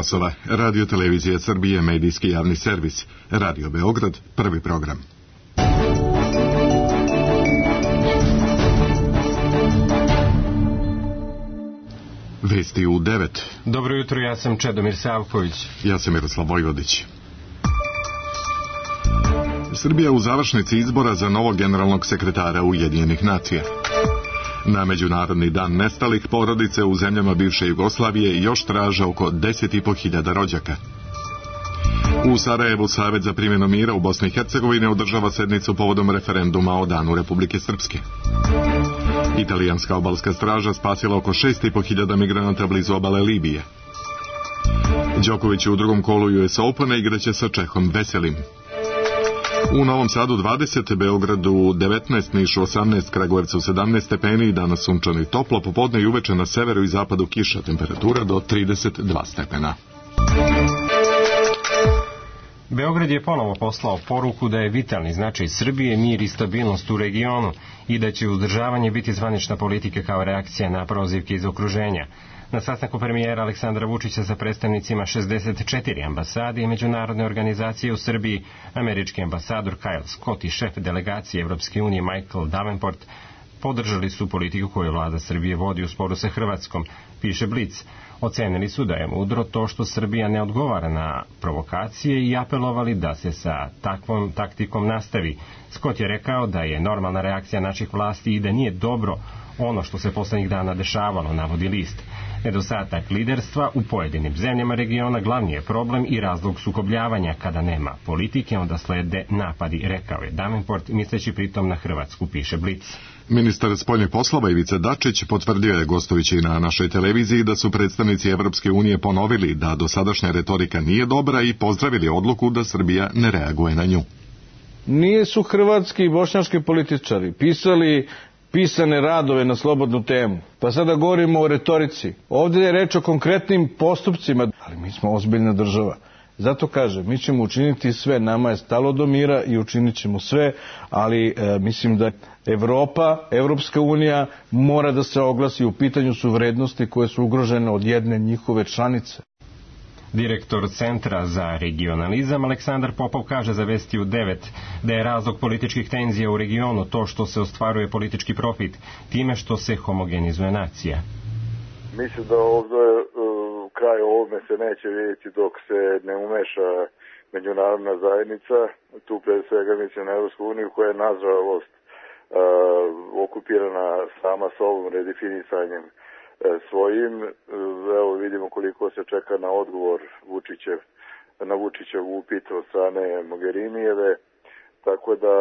časova. Radio Televizija Srbije, medijski javni servis. Radio Beograd, prvi program. Vesti u 9. Dobro jutro, ja sam Čedomir Savković. Ja sam Miroslav Vojvodić. Srbija u završnici izbora za novog generalnog sekretara Ujedinjenih nacija. Na Međunarodni dan nestalih porodice u zemljama bivše Jugoslavije još traže oko 10.500 rođaka. U Sarajevu Savet za primjenu mira u Bosni i Hercegovini održava sednicu povodom referenduma o Danu Republike Srpske. Italijanska obalska straža spasila oko 6.500 migranata blizu obale Libije. Đoković u drugom kolu US Opena igraće sa Čehom Veselim. U Novom Sadu 20, Beogradu 19, Nišu 18, Kragujevcu 17 stepeni, danas sunčano i toplo, popodne i uveče na severu i zapadu kiša, temperatura do 32 stepena. Beograd je ponovo poslao poruku da je vitalni značaj Srbije, mir i stabilnost u regionu i da će uzdržavanje biti zvanična politika kao reakcija na prozivke iz okruženja. Na sastanku premijera Aleksandra Vučića sa predstavnicima 64 ambasade i međunarodne organizacije u Srbiji, američki ambasador Kyle Scott i šef delegacije Evropske unije Michael Davenport podržali su politiku koju vlada Srbije vodi u sporu sa Hrvatskom, piše Blic. Ocenili su da je mudro to što Srbija ne odgovara na provokacije i apelovali da se sa takvom taktikom nastavi. Scott je rekao da je normalna reakcija naših vlasti i da nije dobro ono što se poslednjih dana dešavalo, navodi list. Nedostatak liderstva u pojedinim zemljama regiona glavni je problem i razlog sukobljavanja. Kada nema politike, onda slede napadi, rekao je Davenport, misleći pritom na Hrvatsku, piše Blic. Ministar spoljnih poslova Ivica Dačić potvrdio je gostujući na našoj televiziji da su predstavnici Evropske unije ponovili da dosadašnja retorika nije dobra i pozdravili odluku da Srbija ne reaguje na nju. Nisu hrvatski i bošnjački političari pisali pisane radove na slobodnu temu. Pa sada govorimo o retorici. Ovdje je reč o konkretnim postupcima, ali mi smo ozbiljna država. Zato kažem, mi ćemo učiniti sve, nama je stalo do mira i učinit ćemo sve, ali mislim da Evropa, Evropska unija mora da se oglasi u pitanju suverenosti koje su ugrožene od jedne njihove članice. Direktor Centra za regionalizam Aleksandar Popov kaže za Vesti u 9 da je razlog političkih tenzija u regionu to što se ostvaruje politički profit, time što se homogenizuje nacija. Mislim da ovdje kraj ovome se neće vidjeti dok se ne umeša međunarodna zajednica, tu pre svega mislim na Evropsku uniju koja je nažalost okupirana sama sobom redefinisanjem svojim. Evo vidimo koliko se čeka na odgovor na Vučićev upit od strane Mogherinijeve, tako da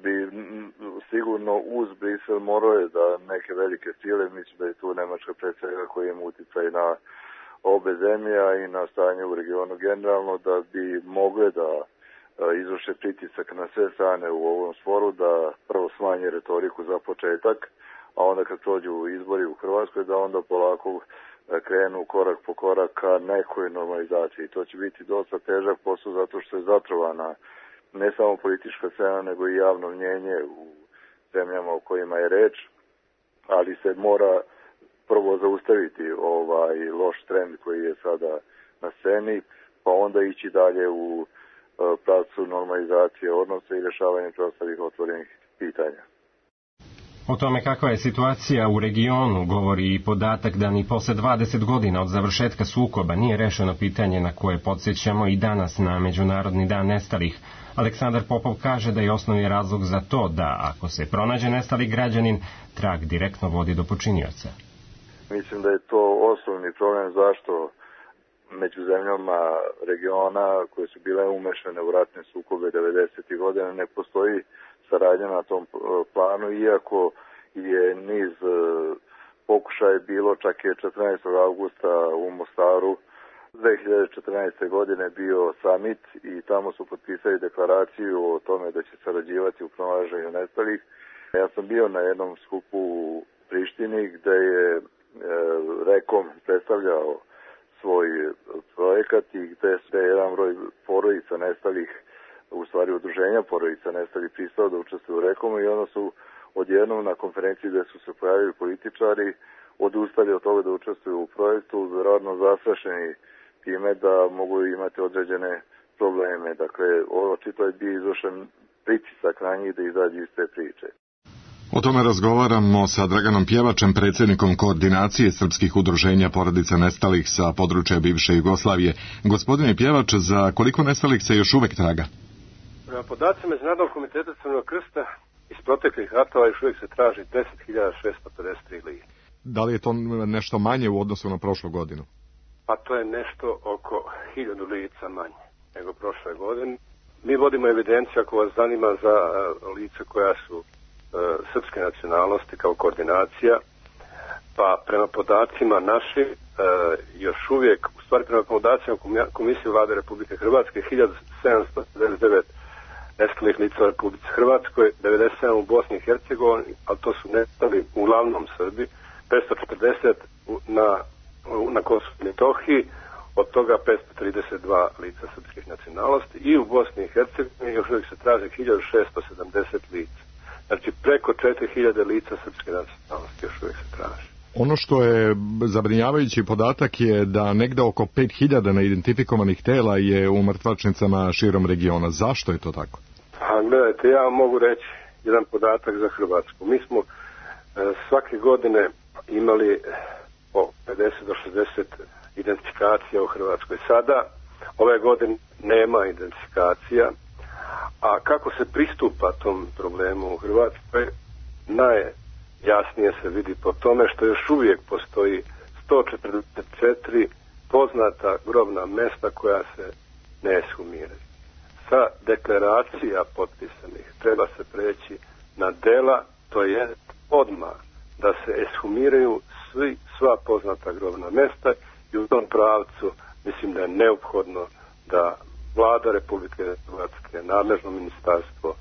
bi sigurno uz Brisel morao je da neke velike sile, mislim da je tu Nemačka pre svega koja ima uticaj na obe zemlje i na stanje u regionu generalno, da bi mogle da izvrše pritisak na sve strane u ovom sporu, da prvo smanje retoriku za početak, a onda kad prođu izbori u Hrvatskoj, da onda polako krenu korak po korak ka nekoj normalizaciji. To će biti dosta težak posao zato što je zatrovana ne samo politička scena, nego i javno mnjenje u zemljama o kojima je reč, ali se mora prvo zaustaviti loš trend koji je sada na sceni, pa onda ići dalje u pravcu normalizacije odnosa i rješavanja preostalih otvorenih pitanja. O tome kakva je situacija u regionu govori i podatak da ni posle 20 godina od završetka sukoba nije rešeno pitanje na koje podsjećamo i danas na Međunarodni dan nestalih. Aleksandar Popov kaže da je osnovni razlog za to da ako se pronađe nestali građanin, trag direktno vodi do počinioca. Mislim da je to osnovni problem zašto među zemljama regiona koje su bile umešane u ratne sukobe 90. godina ne postoji saradnja na tom planu, iako je niz pokušaja bilo, čak je 14. augusta u Mostaru 2014. godine bio summit i tamo su potpisali deklaraciju o tome da će sarađivati u pronalaženju nestalih. Ja sam bio na jednom skupu u Prištini gde je Rekom predstavljao svoj projekat i gde se jedan broj porodica nestalih, u stvari udruženja porodica nestalih, pristao da učestvuju u Rekomu i onda su odjednom na konferenciji gde su se pojavili političari odustali od toga da učestvuju u projektu, verovatno zastrašeni time da mogu imati određene probleme. Dakle, očito je bio izvršen pritisak na njih da izađu iz te priče. O tome razgovaramo sa Draganom Pjevačem, predsjednikom koordinacije srpskih udruženja porodica nestalih sa područja bivše Jugoslavije. Gospodine Pjevač, za koliko nestalih se još uvek traga? Prema podacima Međunarodnog komiteta Crvenog krsta iz proteklih ratova još uvijek se traži 10.653 lica. Da li je to nešto manje u odnosu na prošlu godinu? Pa to je nešto oko 1000 lica manje nego prošle godine. Mi vodimo evidenciju, ako vas zanima, za lica koja su srpske nacionalnosti kao koordinacija, pa prema podacima našim još uvijek, u stvari prema podacima Komisije Vlade Republike Hrvatske, 1799 nestalih lica u Republici Hrvatskoj, 97 u Bosni i Hercegovini, ali to su nestali uglavnom Srbi, 540 na Kosovu i Metohiji, od toga 532 lica srpskih nacionalnosti, i u Bosni i Hercegovini još uvijek se traže 1670 lica. Znači preko 4000 lica srpske nacionalnosti još uvijek se traži. Ono što je zabrinjavajući podatak je da negde oko 5000 neidentifikovanih tela je u mrtvačnicama širom regiona. Zašto je to tako? Pa gledajte, ja vam mogu reći jedan podatak za Hrvatsku. Mi smo svake godine imali po 50 do 60 identifikacija u Hrvatskoj. Sada, ove godine nema identifikacija, a kako se pristupa tom problemu u Hrvatskoj, najjasnije se vidi po tome što još uvijek postoji 144 poznata grobna mjesta koja se ne eshumiraju. Sa deklaracija potpisanih treba se preći na dela, to je odmah da se eshumiraju sva poznata grobna mjesta, i u tom pravcu mislim da je neophodno da Vlada Republike Hrvatske, nadležno ministarstvo,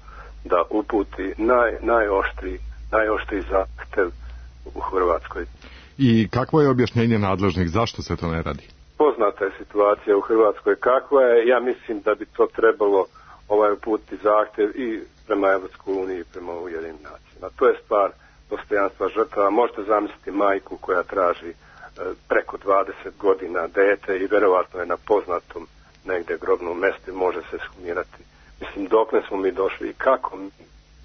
da uputi najoštriji zahtev u Hrvatskoj. I kakvo je objašnjenje nadležnih, zašto se to ne radi? Poznata je situacija u Hrvatskoj kakva je. Ja mislim da bi to trebalo uputiti zahtev i prema Evropskoj uniji i prema Ujedinjenim nacijama. To je stvar dostojanstva žrtava. Možete zamisliti majku koja traži preko 20 godina dete i verovatno je na poznatom negdje grobnom mjestu, može se eshumirati. Mislim, dokle smo mi došli i kako mi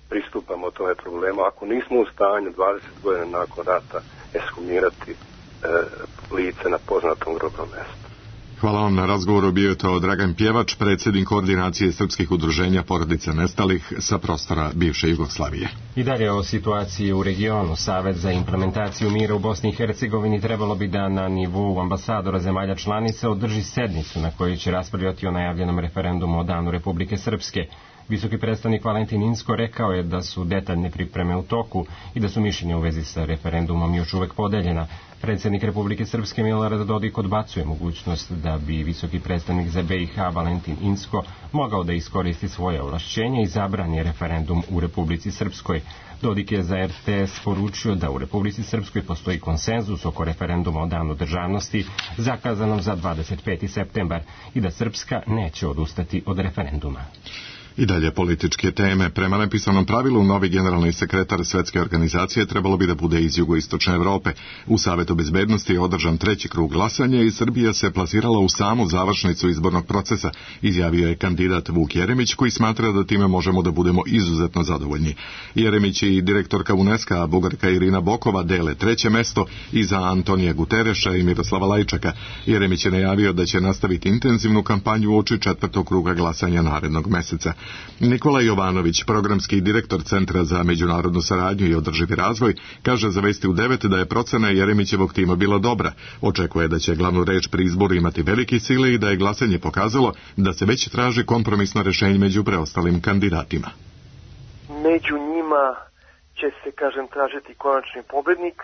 pristupamo tome problemu ako nismo u stanju 20 godina nakon rata eshumirati lice na poznatom grobnom mjestu. Hvala vam na razgovoru. Bio je to Dragan Pjevač, predsjednik koordinacije srpskih udruženja porodica nestalih sa prostora bivše Jugoslavije. I dalje o situaciji u regionu. Savet za implementaciju mira u Bosni i Hercegovini trebalo bi da na nivou ambasadora zemalja članica održi sednicu na kojoj će raspravljati o najavljenom referendumu o Danu Republike Srpske. Visoki predstavnik Valentin Inzko rekao je da su detaljne pripreme u toku i da su mišljenja u vezi sa referendumom još uvek podeljena. Predsjednik Republike Srpske Milorad Dodik odbacuje mogućnost da bi visoki predstavnik za BiH Valentin Inzko mogao da iskoristi svoje ovlašćenje i zabrani referendum u Republici Srpskoj. Dodik je za RTS poručio da u Republici Srpskoj postoji konsenzus oko referenduma o Danu državnosti zakazanom za 25. septembar i da Srpska neće odustati od referenduma. I dalje političke teme. Prema nepisanom pravilu, novi generalni sekretar Svjetske organizacije trebalo bi da bude iz jugoistočne Evrope. U Savetu bezbednosti je održan treći krug glasanja i Srbija se plasirala u samu završnicu izbornog procesa, izjavio je kandidat Vuk Jeremić, koji smatra da time možemo da budemo izuzetno zadovoljni. Jeremić i direktorka UNESCO, Bugarka Irina Bokova, dele treće mesto iza Antonija Gutereša i Miroslava Lajčaka. Jeremić je najavio da će nastaviti intenzivnu kampanju uoči četvrtog kruga glasanja narednog meseca. Nikola Jovanović, programski direktor Centra za međunarodnu saradnju i održivi razvoj, kaže za Vesti u 9 da je procena Jeremićevog tima bila dobra. Očekuje da će glavnu reč pri izboru imati velike sile i da je glasanje pokazalo da se već traži kompromisno rješenje među preostalim kandidatima. Među njima će se, tražiti konačni pobednik.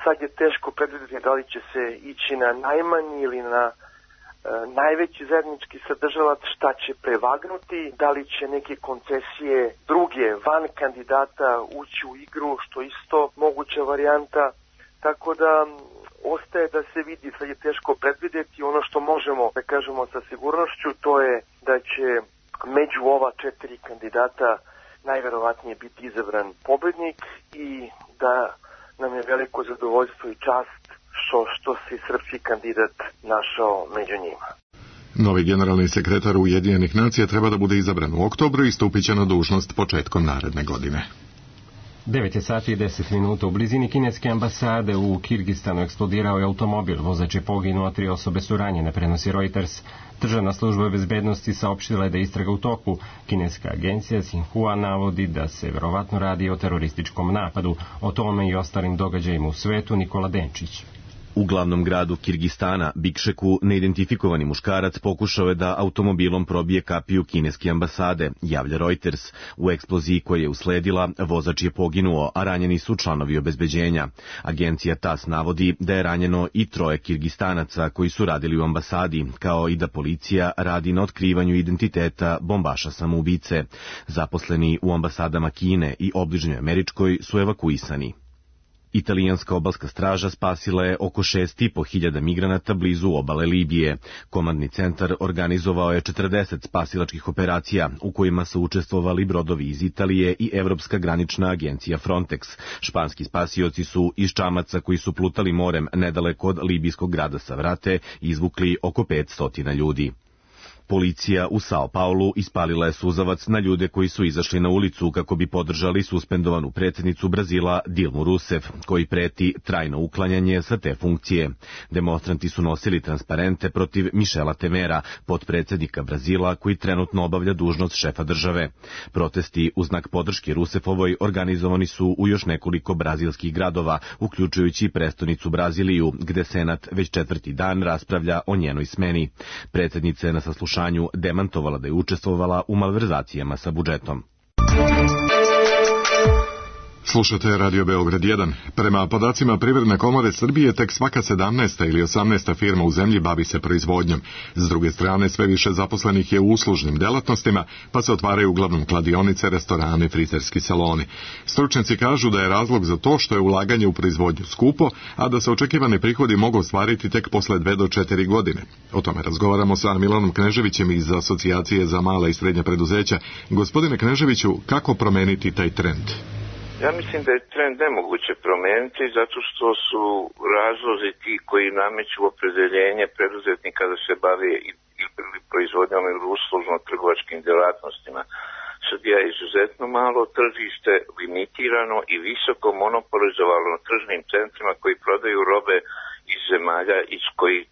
Sad je teško predvidjeti da li će se ići na najmanji ili na najveći zajednički sadržavac, šta će prevagnuti, da li će neke koncesije druge van kandidata ući u igru, što isto moguća varijanta, tako da ostaje da se vidi, sad je teško predvidjeti. Ono što možemo da kažemo sa sigurnošću, to je da će među ova 4 kandidata najverovatnije biti izabran pobednik i da nam je veliko zadovoljstvo i čast što se se srpski kandidat našao među njima. Novi generalni sekretar Ujedinjenih nacija treba da bude izabran u oktobru i stupit će na dužnost početkom naredne godine. 9 sati i 10 minuta. U blizini kineske ambasade u Kirgistanu eksplodirao je automobil. Vozač je poginuo, 3 osobe su ranjene, prenosi Reuters. Državna služba bezbednosti saopštila je da je istraga u toku. Kineska agencija Xinhua navodi da se verovatno radi o terorističkom napadu. O tome i ostalim događajima u svetu Nikola Denčić. U glavnom gradu Kirgistana, Bikšeku, neidentifikovani muškarac pokušao je da automobilom probije kapiju kineske ambasade, javlja Reuters. U eksploziji koja je usledila, vozač je poginuo, a ranjeni su članovi obezbeđenja. Agencija TASS navodi da je ranjeno i 3 Kirgistanaca koji su radili u ambasadi, kao i da policija radi na otkrivanju identiteta bombaša samoubice. Zaposleni u ambasadama Kine i obližnjoj Američkoj su evakuisani. Italijanska obalska straža spasila je oko 6.500 migranata blizu obale Libije. Komandni centar organizovao je 40 spasilačkih operacija, u kojima su učestvovali brodovi iz Italije i Evropska granična agencija Frontex. Španski spasioci su iz čamaca koji su plutali morem nedaleko od libijskog grada Savrate izvukli oko 500 ljudi. Policija u Sao Paulu ispalila je suzavac na ljude koji su izašli na ulicu kako bi podržali suspendovanu predsjednicu Brazila Dilmu Rousseff, koji preti trajno uklanjanje sa te funkcije. Demonstranti su nosili transparente protiv Michela Temera, potpredsjednika Brazila koji trenutno obavlja dužnost šefa države. Protesti u znak podrške Rousseffovoj organizovani su u još nekoliko brazilskih gradova, uključujući prestonicu Braziliju, gde Senat već 4. dan raspravlja o njenoj smeni. Predsjednica je na saslušanju demantovala da je učestvovala u malverzacijama sa budžetom. Slušate Radio Beograd 1. Prema podacima Privredne komore Srbije, tek svaka 17. ili 18. firma u zemlji bavi se proizvodnjom. S druge strane, sve više zaposlenih je u uslužnim delatnostima, pa se otvaraju uglavnom kladionice, restorane, frizerski saloni. Stručnjaci kažu da je razlog za to što je ulaganje u proizvodnju skupo, a da se očekivane prihodi mogu ostvariti tek posle 2 do 4 godine. O tome razgovaramo sa Milanom Kneževićem iz Asocijacije za mala i srednja preduzeća. Gospodine Kneževiću, kako promeniti taj trend? Ja mislim da je trend nemoguće promijeniti zato što su razlozi ti koji nameću opredeljenje preduzetnika da se bave ili proizvodnjom ili uslužno-trgovačkim djelatnostima. Srbija je izuzetno malo tržište, limitirano i visoko monopolizovano na tržnim centrima koji prodaju robe iz zemalja iz kojih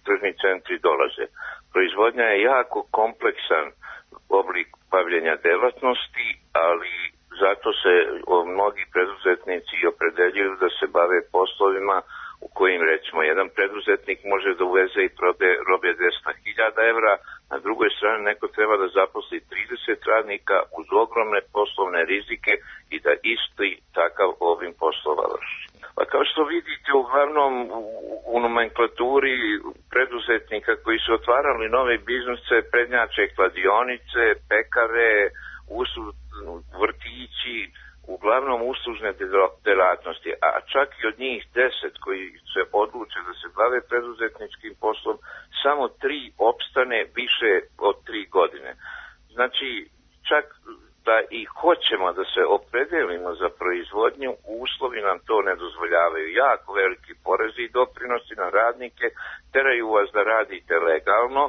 tržni centri dolaze. Proizvodnja je jako kompleksan oblik bavljenja djelatnosti, ali zato se mnogi preduzetnici opredeljuju da se bave poslovima u kojim, recimo, jedan preduzetnik može da uveze i prodaje robe 200.000 evra, na drugoj strani neko treba da zaposli 30 radnika uz ogromne poslovne rizike i da isti takav obim poslova vrši. Pa kao što vidite, uglavnom u nomenklaturi preduzetnika koji su otvarali nove biznise prednjače kladionice, pekare, vrtići, uglavnom uslužne delatnosti, a čak i od njih 10 koji se odluče da se bave preduzetničkim poslom, samo 3 opstane više od 3 godine. Znači, čak da i hoćemo da se opredelimo za proizvodnju, uslovi nam to ne dozvoljavaju. Jako veliki porezi i doprinosi na radnike teraju vas da radite legalno,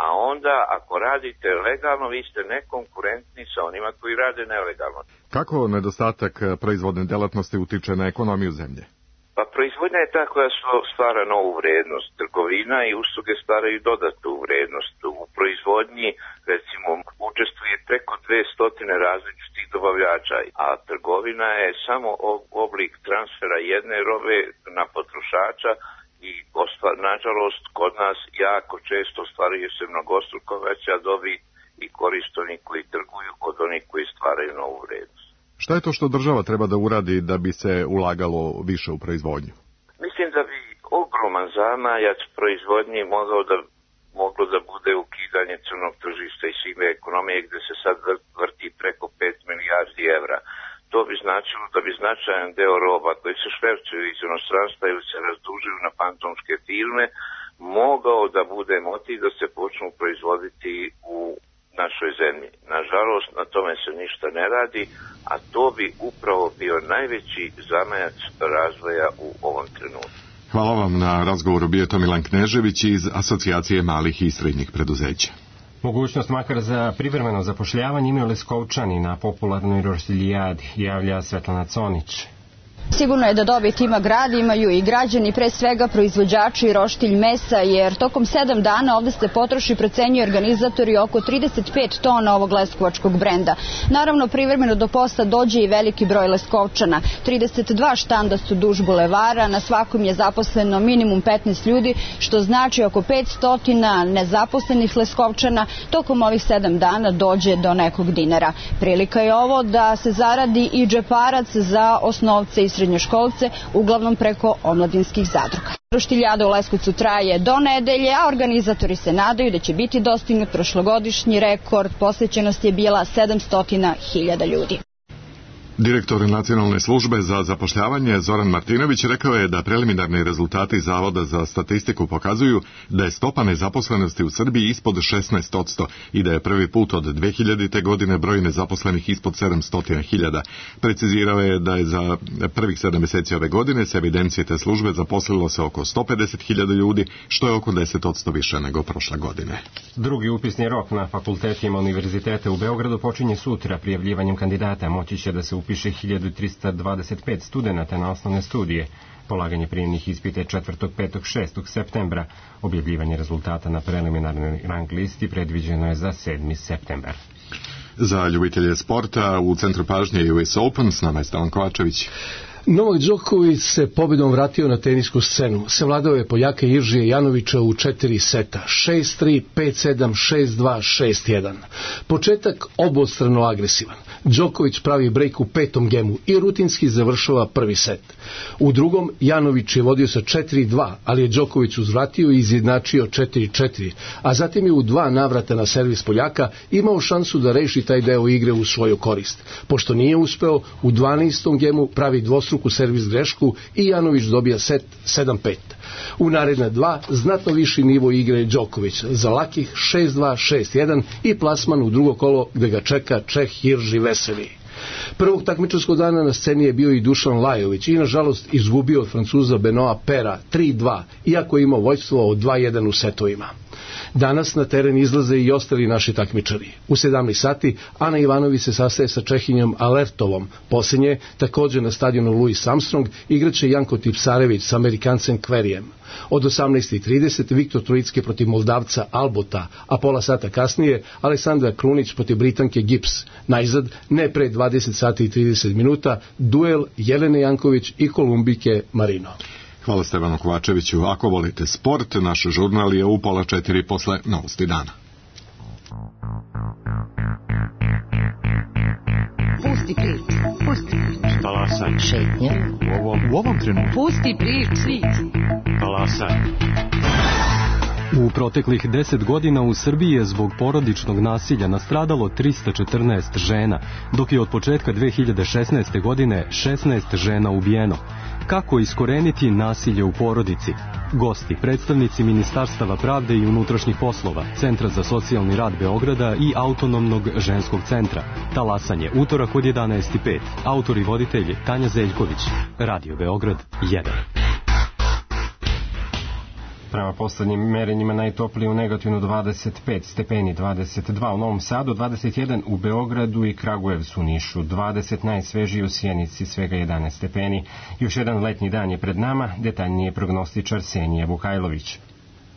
a onda ako radite legalno, vi ste nekonkurentni sa onima koji rade nelegalno. Kako nedostatak proizvodne delatnosti utiče na ekonomiju zemlje? Pa proizvodnja je ta koja stvara novu vrednost. Trgovina i usluge stvaraju dodatnu vrednost. U proizvodnji, recimo, učestvuje preko 200 različitih dobavljača, a trgovina je samo oblik transfera jedne robe na potrošača i nažalost kod nas jako često ostvaruje se mnogostruko veća dobit i korist onih koji trguju od onih koji stvaraju novu vrednost. Šta je to što država treba da uradi da bi se ulagalo više u proizvodnju? Mislim da bi ogroman zamajac proizvodnji moglo da bude ukidanje crnog tržišta i sive ekonomije gde se sad vrti preko 5 milijardi evra. To bi značilo da bi značajan deo roba koji se švercuju iz inostranstva ili se razdužuju na fantomske firme mogao da bude motiv da se počnu proizvoditi u našoj zemlji. Nažalost, na tome se ništa ne radi, a to bi upravo bio najveći zamajac razvoja u ovom trenutku. Hvala vam na razgovoru, bio to Milan Knežević iz Asocijacije malih i srednjih preduzeća. Mogućnost makar za privremeno zapošljavanje imaju Leskovčani na popularnoj roštiljadi, javlja Svetlana Conić. Sigurno je da dobit ima grad, imaju i građani, pre svega proizvođači i roštilj mesa, jer tokom 7 dana ovde se potroši, procenjuju organizatori, oko 35 tona ovog leskovačkog brenda. Naravno, privremeno do posla dođe i veliki broj Leskovčana. 32 štanda su duž bulevara, na svakom je zaposleno minimum 15 ljudi, što znači oko 500 nezaposlenih Leskovčana. Tokom ovih 7 dana dođe do nekog dinara. Prilika je ovo da se zaradi i džeparac za osnovce i srednjoškolce, uglavnom preko omladinskih zadruga. Roštiljada u Leskovcu traje do nedelje, a organizatori se nadaju da će biti dostignut prošlogodišnji rekord. Posvećenost je bila 700.000 ljudi. Direktor Nacionalne službe za zapošljavanje Zoran Martinović rekao je da preliminarni rezultati Zavoda za statistiku pokazuju da je stopa nezaposlenosti u Srbiji ispod 16% i da je prvi put od 2000. godine broj nezaposlenih ispod 700.000. Precizirao je da je za prvih 7 meseci ove godine s evidencije te službe zaposlilo se oko 150.000 ljudi, što je oko 10% više nego prošle godine. Drugi upisni rok na fakultetima univerziteta u Beogradu počinje sutra prijavljivanjem kandidata. Moći će da se upiše 1325 studenata na osnovne studije. Polaganje prijemnih ispita je 4., 5., 6. septembra. Objavljivanje rezultata na preliminarnoj rang listi predviđeno je za 7. septembar. Za ljubitelje sporta u centru pažnje US Open, s nama je Stevan Kovačević. Novak Đoković se pobjedom vratio na tenisku scenu. Savladao je Poljaka Iržija Janovića u 4 seta. 6-3, 5-7, 6-2, 6-1. Početak obostrano agresivan. Đoković pravi brejk u 5. gemu i rutinski završava prvi set. U drugom Janović je vodio sa 4-2, ali je Đoković uzvratio i izjednačio 4-4, a zatim je u 2 navrata na servis Poljaka imao šansu da reši taj deo igre u svoju korist. Pošto nije uspeo, u 12. gemu pravi dvostruku servis grešku i Janović dobija set 7-5. U naredna 2 znatno viši nivo igre je Đoković za lakih 6-2, 6-1 i plasman u drugo kolo gde ga čeka Čeh Jirži Veseli. Prvog takmičarskog dana na sceni je bio i Dušan Lajović i nažalost izgubio od Francuza Benoa Pera 3-2, iako je imao vođstvo od 2-1 u setovima. Danas na teren izlaze i ostali naši takmičari. U 17 sati Ana Ivanović se sastaje sa Čehinjom Alertovom. Posljednje, također na stadionu Louis Armstrong, igraće Janko Tipsarević sa Amerikancem Kverijem. Od 18:30 Viktor Trojicki protiv Moldavca Albota, a pola sata kasnije Aleksandra Krunić protiv Britanke Gibbs. Najzad, ne pre 20:30, duel Jelene Janković i Kolumbijke Marino. Hvala Stevanu Kovačeviću. Ako volite sport, naš žurnal je u 3:30 posle novosti dana. Pusti priču. Pusti priču. Talasaj. Šetnja. U ovom trenutku. Pusti priču. Talasaj. U proteklih 10 godina u Srbiji je zbog porodičnog nasilja nastradalo 314 žena, dok je od početka 2016. godine 16 žena ubijeno. Kako iskoreniti nasilje u porodici? Gosti, predstavnici Ministarstava pravde i unutrašnjih poslova, Centra za socijalni rad Beograda i Autonomnog ženskog centra. Talasanje, utorak od 11:05. Autor i voditelj Tanja Zeljković. Radio Beograd 1. Prema poslednjim merenjima najtoplije u Negotivnu 25 stepeni, 22 u Novom Sadu, 21 u Beogradu i Kragujevcu, u Nišu, 20 najsvežiji u Sjenici, svega 11 stepeni. Još jedan letnji dan je pred nama, detaljnije prognostičar Senija Vukajlović.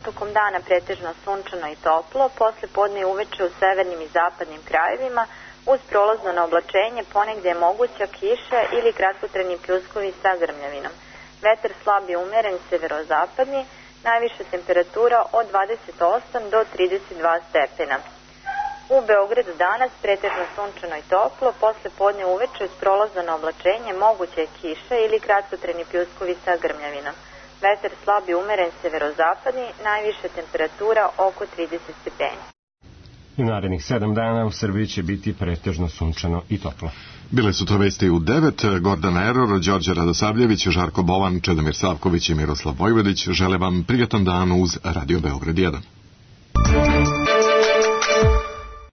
Tokom dana pretežno sunčano i toplo, posle podne i uveče u severnim i zapadnim krajevima, uz prolazno na oblačenje, ponegde je moguća kiša ili kratkotrajni pljuskovi sa grmljavinom. Vetar slab i umeren severozapadni, najviša temperatura od 28 do 32 stepena. U Beogradu danas pretežno sunčano i toplo, posle podne uveče uz prolazno na oblačenje moguća je kiša ili kratkotrajni pljuskovi sa grmljavinom. Vetar slab i umeren severozapadni, najviša temperatura oko 30 stepeni. I narednih 7 dana u Srbiji će biti pretežno sunčano i toplo. Bile su to vesti u 9. Gordana Eror, Đorđe Radosavljević, Žarko Bovan, Čedomir Savković i Miroslav Vojvodić žele vam prijatan dan uz Radio Beograd 1.